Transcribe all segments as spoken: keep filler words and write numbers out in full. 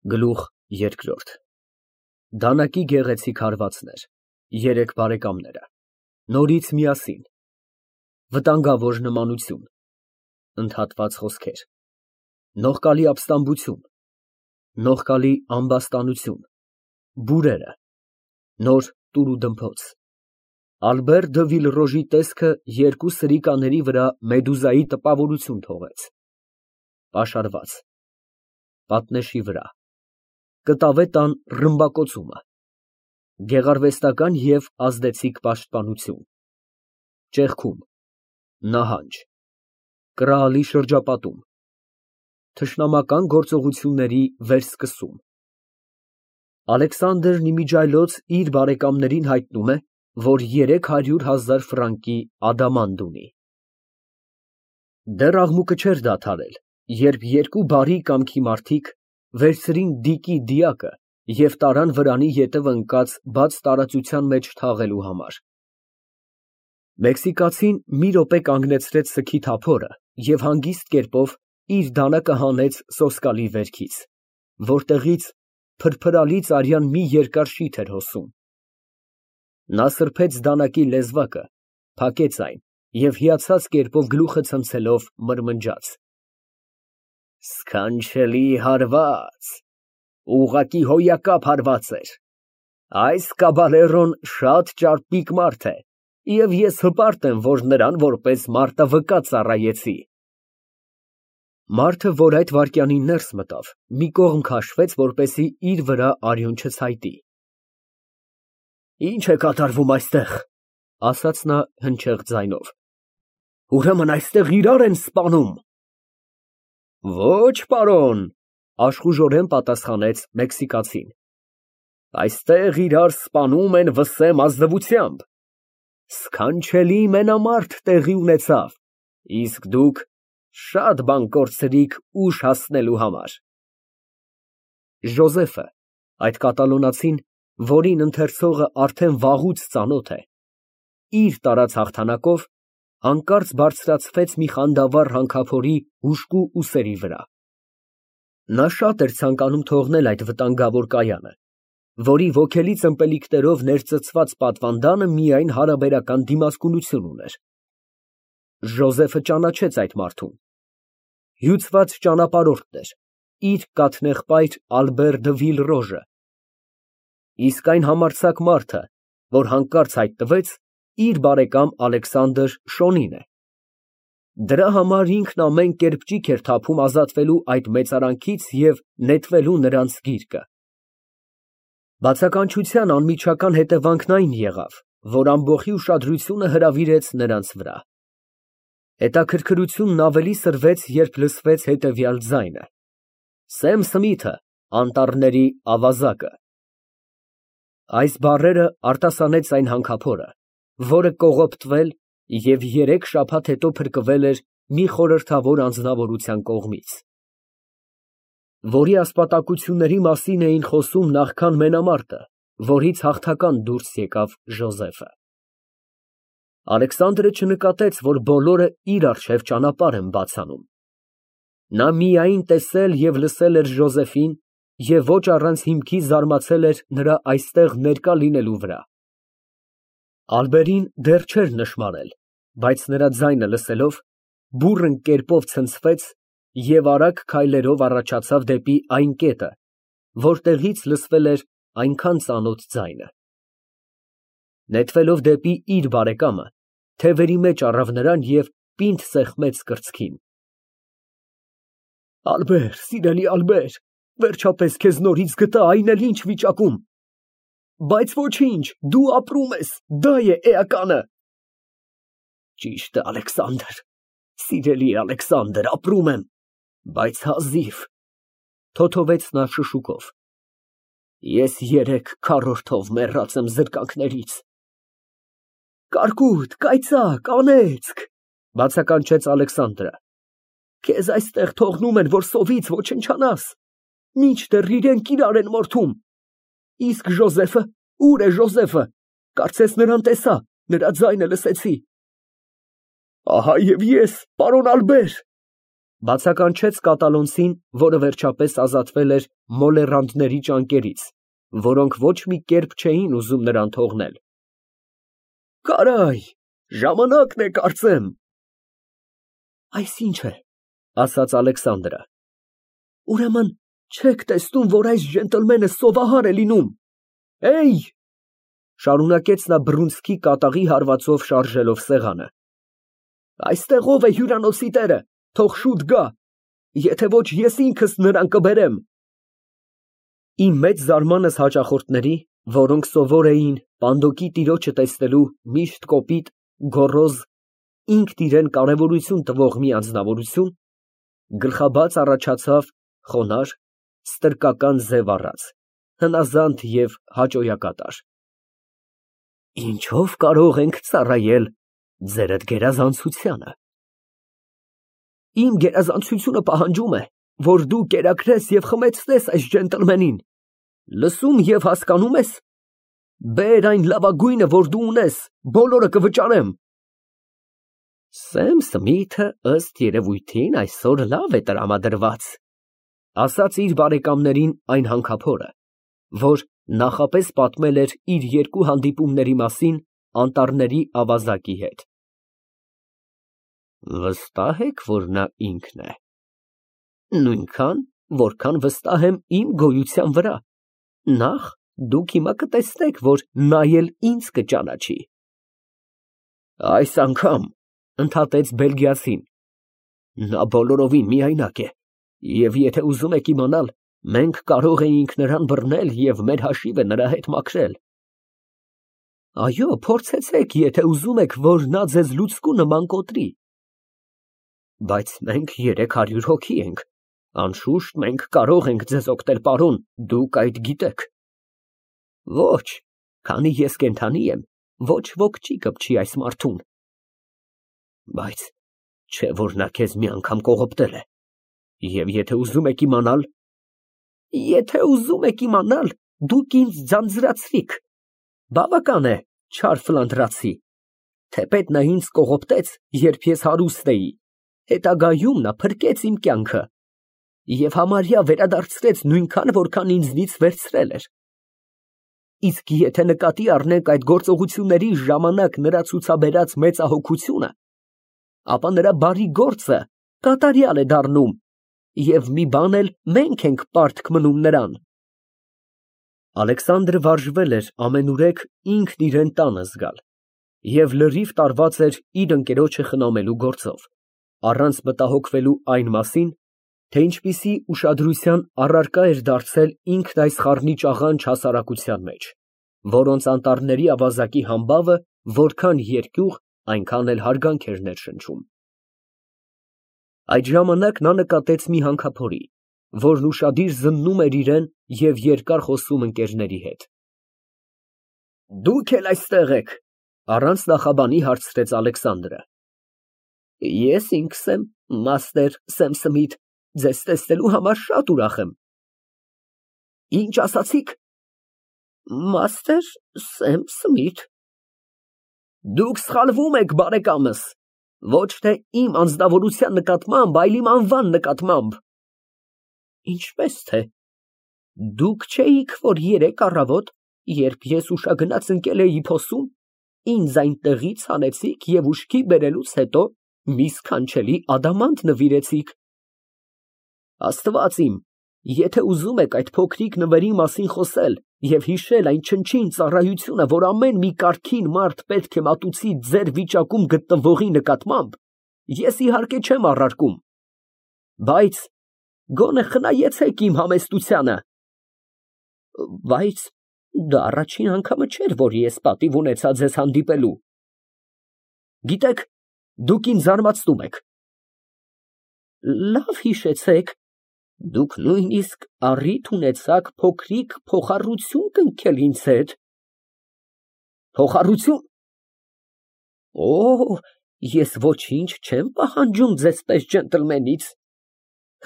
Գլուխ երկրորդ Դանակի գեղեցիկ հարվածներ, երեք բարեկամները, նորից միասին, վտանգավոր նմանություն, ընդհատված խոսքեր, նողկալի ապստամբություն, նողկալի ամբաստանություն, բուրերը, նոր տուրուդմփոց, Ալբեր դը Վիլռոժի տեսքը երկու սրիկաների վրա մեդուզայի տպավորություն թողեց, պաշարված, պատնեշի վրա, կտավե տան ռմբակոծումը, գեղարվեստական և ազդեցիկ պաշտպանություն, ճեղքում, նահանջ, կրալի շրջապատում, թշնամական գործողությունների վերսկսում։ Ալեքսանդրն իմիջիայլոց իր բարեկամներին հայտնում է, որ երեք հարյուր հազար ֆրանկի ադամանդ ունի։ Դեռ աղմուկը չէր դադարել, երբ երկու բարի կամքի մարդիկ վերցրին Դիկի դիակը և տարան վրանի ետևը ընկած բաց տարածության մեջ թաղելու համար։ Մեքսիկացին մի րոպե կանգնեցրեց սքի թափորը և հանգիստ կերպով իր դանակը հանեց սոսկալի վերքից, որտեղից փրփրալից արյան մի երկար շիթ էր հոսում։ Նա սրբեց դանակի լեզվակը, փակեց այն և հիացած կերպով գլուխը ցնցելով մրմնջաց. Սքանչելի հարված, ուղղակի հոյակապ հարված էր, այս կաբալերոն շատ ճարպիկ մարդ է և ես հպարտ եմ, որ նրան որպես մարտավկա ծառայեցի։ Մարդը, որ այդ վայրկյանին ներս մտավ, մի կողմ քաշվեց, որպեսզի իր վրա արյուն չցայտի։ Ի՞նչ է կատարվում այստեղ, ասաց նա հնչեղ ձայնով, ուրեմն այստեղ իրար են սպանում։ Ոչ, պարոն, աշխուժորեն պատասխանեց մեքսիկացին, այստեղ իրար սպանում են վսեմ ազնվությամբ։ Սքանչելի մենամարտ տեղի ունեցավ, իսկ դուք շատ բան կորցրիք ուշ հասնելու համար։ Ժոզեֆը, այդ կատալոնացին, որին ընթերցողը արդեն վաղուց ծանոթ է, իր տարած հաղթանակով հանկարծ բարձրացվեց մի խանդավառ հանքափորի հուժկու ուսերի վրա։ Նա շատ էր ցանկանում թողնել այդ վտանգավոր կայանը, որի ոգելից ըմպելիքներով ներծծված պատվանդանը միայն հարաբերական դիմացկունություն ուներ։ Ժոզեֆը ճանաչեց այդ մարդուն։ Հյուծված ճանապարհորդն էր, իր կաթնեղբայր Ալբեր դը Վիլռոժը։ Իսկ այն համարձակ մարդը, որ հանկարծ հայտնվեց, իր բարեկամ Ալեքսանդր Շոնին է։ Դրա համար ինքն ամեն կերպ ճիգ էր թափում ազատվելու այդ մեծարանքից և նետվելու նրանց գիրկը։ Բացականչության անմիջական հետևանքն այն եղավ, որ ամբոխի ուշադրությունը հրավիրեց նրանց վրա։ Հետաքրքրությունն ավելի սրվեց, երբ լսվեց հետևյալ ձայնը. Սեմ Սմիթը, անտառների ավազակը։ Այս բառերը արտասանեց այն հանքափորը, որը կողոպտվել և երեք շաբաթ հետո փրկվել էր մի խորհրդավոր անձնավորության կողմից, որի ասպատակությունների մասին էին խոսում նախքան մենամարտը, որից հաղթական դուրս եկավ Ժոզեֆը։ Ալեքսանդրը չնկատեց, որ բոլորը իր առջև ճանապարհ են բաց անում։ Նա միայն տեսել և լսել էր Ժոզեֆին և ոչ առանց հիմքի զարմացել էր նրա այստեղ ներկա լինելու վրա։ Ալբերին դեռ չէր նշմարել, բայց նրա ձայնը լսելով, բուռն կերպով ցնցվեց և արագ քայլերով առաջացավ դեպի այն կետը, որտեղից լսվել էր այնքան ծանոթ ձայնը։ Նետվելով դեպի իր բարեկամը, թևերի մեջ առավ նրան և պինդ սեղմեց կրծքին։ Ալբեր, սիրելի Ալբեր, վերջապես քեզ նորից գտա, այն էլ ինչ վիճակում։ Բայց ոչինչ, դու ապրում ես, դա է էականը։ Ճիշտ է, Ալեքսանդր, սիրելի Ալեքսանդր, ապրում եմ, բայց հազիվ, թոթովեց նա շշուկով։ Ես երեք քառորդով մեռած եմ զրկանքներից։ Կարկուտ, կայծակ, անեծք, բացականչեց Ալեքսանդրը։ Քեզ այստեղ թողնում են, որ սովից ոչնչանաս, մինչդեռ իրենք իրար են մորթում։ Իսկ Ժոզեֆը, ուր է Ժոզեֆը, կարծես նրան տեսա, նրա ձայնը լսեցի։ Ահա և ես, պարոն Ալբեր, Բացականչեց կատալոնցին, որը վերջապես ազատվել էր մոլեռանդների ճանկերից, որոնք ոչ մի կերպ չէին ուզում նրան թողնել։ Կարայ, ժամանակն է, կարծեմ։ Այս ի՞նչ է, ասաց Ալեքսանդրը։ Ուրեմն չեք տեսնում, որ այս ջենտլմենը սովահար է լինում։ Էյ, շարունակեց նա բռունցքի կատաղի հարվածով շարժելով սեղանը, այստեղ ով է հյուրանոցի տերը, թող շուտ գա, եթե ոչ ես ինքս նրան կբերեմ։ Իմ մեծ զարմանս հաճախորդների, որոնք սովոր էին պանդոկի տիրոջը տեսնելու միշտ կոպիտ, գոռոզ, ինքն իրեն կարևորություն տվող մի անձնավորություն, գլխաբաց առաջացավ խոնարհ, ստրկական ձև առած, հնազանդ և հաճոյակատար։ Ինչով կարող ենք ծառայել ձերդ գերազանցությանը։ Իմ գերազանցությունը պահանջում է, որ դու կերակրես և խմեցնես այս ջենտլմենին, լսում և հասկանում ես։ Բեր այն լավագույնը, որ դու ունես, բոլորը կվճարեմ։ Սեմ Սմիթը ըստ երևույթին այսօր լավ է տրամադրված, ասաց իր բարեկամներին այն հանքափորը, որ նախապես պատմել էր իր երկու հանդիպումների մասին անտառների ավազակի հետ։ Վստահ եք, որ նա ինքն է։ Նույնքան, որքան վստահ եմ իմ գոյության վրա։ Նախ դուք հիմա կտեսնեք, որ նա էլ ինձ կճանաչի։ Այս անգամ, ընդհատեց բելգիացին, նա բոլորովին միայնակ է, և եթե ուզում եք իմանալ, մենք կարող էինք նրան բռնել և մեր հաշիվը նրա հետ մաքրել։ Այո, փորձեցեք, եթե ուզում եք, որ նա ձեզ լուցկու նման կոտրի։ Բայց մենք երեք հարյուր հոգի ենք, անշուշտ մենք կարող ենք ձեզ օգնել, պարոն, դուք այդ գիտեք։ Ոչ, քանի ես կենդանի եմ, ոչ ոք չի կպչի այս մարդուն։ Բայց չէ որ նա քեզ մի անգամ կողոպտել է։ Եվ եթե ուզում եք իմանալ։ Եթե ուզում եք իմանալ, դուք ինձ ձանձրացրիք։ Բավական է, չար ֆլանդրացի։ Թեպետ նա ինձ կողոպտեց, երբ ես հարուստ էի, հետագայում նա փրկեց իմ կյանքը և համարյա վերադարձրեց նույնքան, որքան ինձնից վերցրել էր։ Իսկ եթե նկատի առնենք այդ գործողությունների ժամանակ նրա ցուցաբերած մեծահոգությունը, ապա նրա բարի գործը կատարյալ է դառնում, և մի բան էլ մենք ենք պարտք մնում նրան։ Ալեքսանդրը վարժվել էր ամենուրեք ինքն իրեն տանը զգալ և լրիվ տարված էր իր ընկերոջը խնամելու գործով, առանց մտահոգվելու այն մասին, թե ինչպիսի ուշադրության առարկա էր դարձել ինքն այս խառնիճ աղանջ հասարակության մեջ, որոնց անտառների ավազակի համբավը որքան երկյուղ, այնքան էլ հարգանք էր ներշնչում։ Այդ ժամանակ նա նկատեց մի հանքափորի, որն ուշադիր զննում էր իրան և երկար խոսում ընկերների հետ։ Դուք էլ այստեղ եք, առանց նախաբանի հարցրեց Ալեքսանդրը։ Ես ինքս եմ, մաստեր Սեմ Սմիթ, ձեզ տեսնելու համար շատ ուրախ եմ։ Ինչ ասացիք։ Մաստեր Սեմ Սմիթ։ Դուք սխալվում եք, բարեկամս, ոչ թե իմ անձնավորության նկատմամբ, այլ իմ անվան նկատմամբ։ Ինչպես թե։ Դուք չէիք, որ երեկ առավոտ, երբ ես ուշագնաց ընկել էի փոսում, ինձ այնտեղից հանեցիք և ուշքի բերելուց հետո մի սքանչելի ադամանդ նվիրեցիք։ Աստված իմ, եթե ուզում եք այդ փոքրիկ նվերի մասին խոսել և հիշել այն չնչին ծառայությունը, որ ամեն մի կարգին մարդ պետք է մատուցի ձեր վիճակում գտնվողի նկատմամբ, ես իհարկե չեմ առարկում, բայց գոնե խնայեցեք իմ համեստությանը։ Բայց դա առաջին անգամը չէր, որ ես պատիվ ունեցա ձեզ հանդիպելու։ Գիտեք, դուք ինձ զարմացնում եք։ Լավ հիշեցեք, դուք նույնիսկ առիթ ունեցաք փոքրիկ փոխառություն կնքել ինձ հետ։ Փոխառություն։ Օ, ես ոչինչ չեմ պահանջում ձեզպես ջենտլմենից։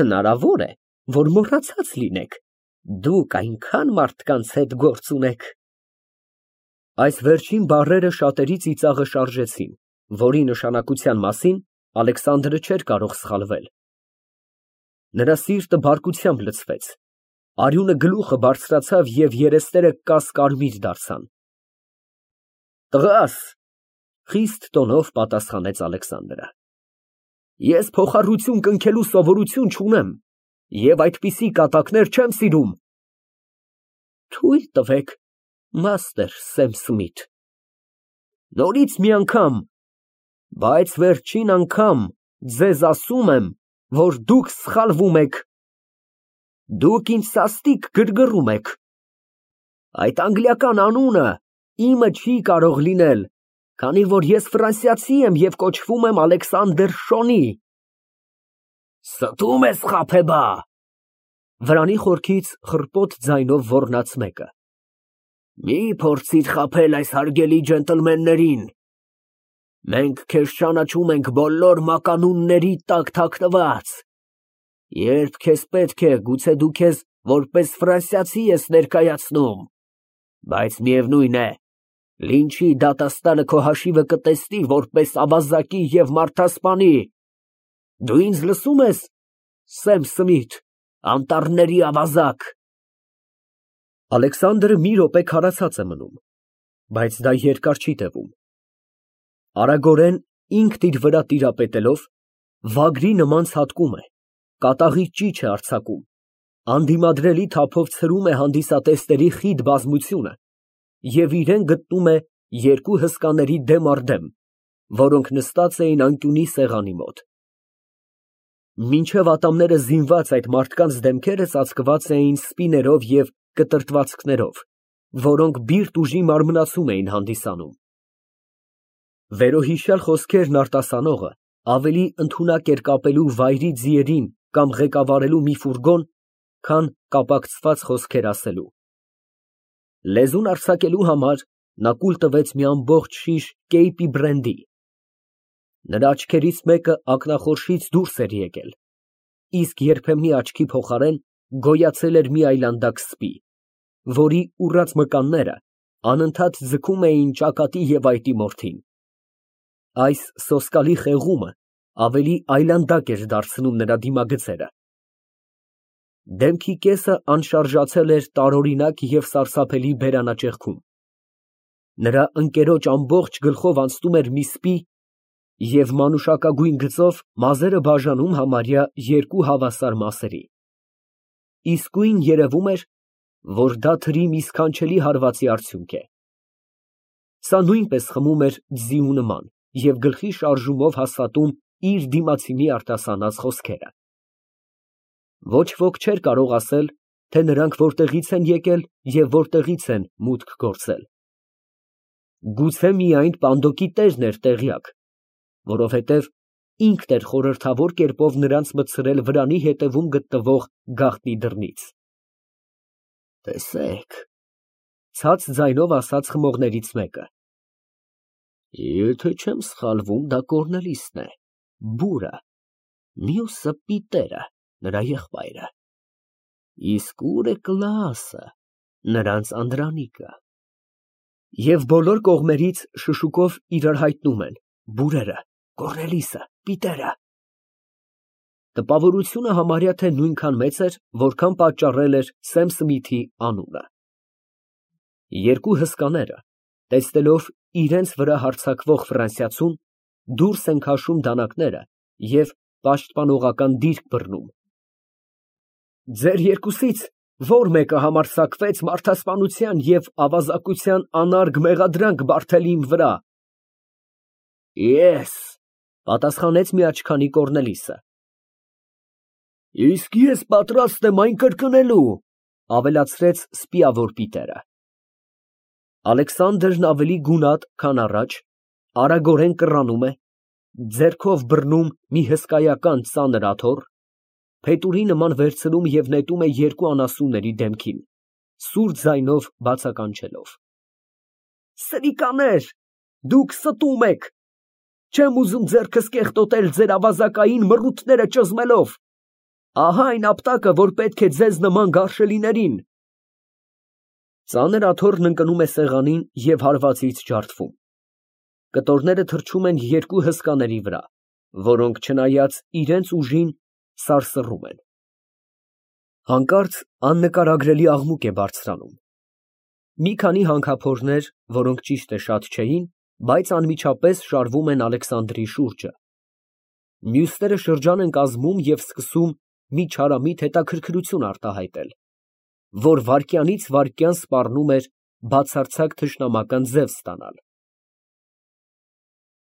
Հնարավոր է, որ մոռացած լինեք, դուք այնքան մարդկանց հետ գործ ունեք։ Այս վերջին բառերը շատերի ծիծաղը շարժեցին, որի նշանակության մասին Ալեքսանդրը չէր կարող սխալվել։ Նրա սիրտը բարկությամբ լցվեց, արյունը գլուխը բարձրացավ և երեսները կաս֊կարմիր դարձան։ Տղա՛ս, խիստ տոնով պատասխանեց Ալեքսանդրը, ես փոխառություն կնքելու սովորություն չունեմ և այդպիսի կատակներ չեմ սիրում։ Թույլ տվեք, մաստեր Սեմ Սմիթ։ Նորից մի անգամ, բայց վերջին անգամ ձեզ ասում եմ, որ դուք սխալվում եք։ Դուք ինձ սաստիկ գրգռում եք։ Այդ անգլիական անունը իմը չի կարող լինել, քանի որ ես ֆրանսիացի եմ և կոչվում եմ Ալեքսանդր Շոնի։ Ստում ես, խաբեբա։ Վրանի խորքից խռպոտ ձայնով ոռնաց մեկը։ Մի փորձիր խաբել այս հարգելի ջենտլմեններին։ Մենք քեզ ճանաչում ենք բոլոր մականունների տակ թաքնված։ Երբ քեզ պետք է, գուցե դու քեզ որպես ֆրանսիացի ես ներկայացնում, բայց միևնույն է, Լինչի դատաստանը քո հաշիվը կտեսնի որպես ավազակի և մարդասպանի։ Դու ինձ լսո՞ւմ ես, Սեմ Սմիթ, անտառների ավազակ։ Ալեքսանդրը մի րոպե քարացած է մնում, բայց դա երկար չի տևում։ Արագորեն ինքն իր վրա տիրապետելով, վագրի նման ցատկում է, կատաղի ճիչ է արձակում, անդիմադրելի թափով ցրում է հանդիսատեսների խիտ բազմությունը և իրան գտնում է երկու հսկաների դեմ առ դեմ, որոնք նստած էին անկյունի սեղանի մոտ։ Մինչև ատամները զինված այդ մարդկանց դեմքերը ծածկված էին սպիներով և կտրտվածքներով, որոնք բիրտ ուժի մարմնացում էին հանդիսանում։ Վերոհիշյալ խոսքերն արտասանողը ավելի ընդունակ էր կապելու վայրի ձիերին կամ ղեկավարելու մի ֆուրգոն, քան կապակցված խոսքեր ասելու։ Լեզուն արձակելու համար նա կուլ տվեց մի ամբողջ շիշ Կեյպի բրենդի։ Նրա աչքերից մեկը ակնախորշից դուրս էր եկել, իսկ երբեմնի աչքի փոխարեն գոյացել էր մի այլանդակ սպի, որի ուռած մկանները անընդհատ ձգում էին ճակատի և այտի մորթին։ Այս սոսկալի խեղումը ավելի այլանդակ էր դարձնում նրա դիմագծերը։ Դեմքի կեսը անշարժացել էր տարօրինակ և սարսափելի բերանաճեղքում։ Նրա ընկերոջ ամբողջ գլխով անցնում էր մի սպի և մանուշակագույն գծով մազերը բաժանում համարյա երկու հավասար մասերի։ Իսկույն երևում էր, որ դա թրի մի սքանչելի հարվածի արդյունք է։ Սա նույնպես խմում էր ձիու նման և գլխի շարժումով հաստատում իր դիմացինի արտասանած խոսքերը։ Ոչ ոք չէր կարող ասել, թե նրանք որտեղից են եկել և որտեղից են մուտք գործել։ Գուցե միայն պանդոկի տերն էր տեղյակ, որովհետև ինքն էր խորհրդավոր կերպով նրանց մտցրել վրանի հետևում գտնվող գաղտնի դռնից։ Տեսեք, ցած ձայնով ասաց խմողներից մեկը, եթե չեմ սխալվում, դա Կոռնելիսն է, բուրը, մյուսը Պիտերը, նրա եղբայրը, իսկ ո՞ւր է Կլաասը, նրանց անդրանիկը։ Եվ բոլոր կողմերից շշուկով իրար հայտնում են. բուրերը, Կոռնելիսը, Պիտերը։ Տպավորությունը համարյա թե նույնքան մեծ էր, որքան պատճառել էր Սեմ Սմիթի անունը։ Երկու հսկաները, տեսնելով իրենց վրա հարձակվող ֆրանսիացուն, դուրս են քաշում դանակները և պաշտպանողական դիրք բռնում։ Ձեր երկուսից ո՞ր մեկը համարձակվեց մարդասպանության և ավազակության անարգ մեղադրանք բարդել իմ վրա։ Ես, պատասխանեց մի աչքանի Կոռնելիսը։ Իսկ ես պատրաստ եմ այն կրկնելու, ավելացրեց սպիավոր Պիտերը։ Ալեքսանդրն ավելի գունատ, քան առաջ, արագորեն կռանում է, ձեռքով բռնում մի հսկայական ծանր աթոռ, փետուրի նման վերցնում և նետում է երկու անասունների դեմքին, սուր ձայնով բացականչելով. Սրիկաներ, դուք ստում եք, չեմ ուզում ձեռքս կեղտոտել ձեր ավազակային մռութները ճզմելով, ահա այն ապտակը, որ պետք է ձեզ նման գարշելիներին։ Ծանր աթոռն ընկնում է սեղանին և հարվածից ջարդվում։ Կտորները թռչում են երկու հսկաների վրա, որոնք չնայած իրենց ուժին, սարսռում են։ Հանկարծ աննկարագրելի աղմուկ է բարձրանում։ Մի քանի հանքափորներ, որոնք ճիշտ է շատ չէին, բայց անմիջապես շարվում են Ալեքսանդրի շուրջը։ Մյուսները շրջան են կազմում և սկսում մի չարամիտ հետաքրքրություն արտահայտել, որ վայրկյանից վայրկյան սպառնում էր բացարձակ թշնամական ձև ստանալ։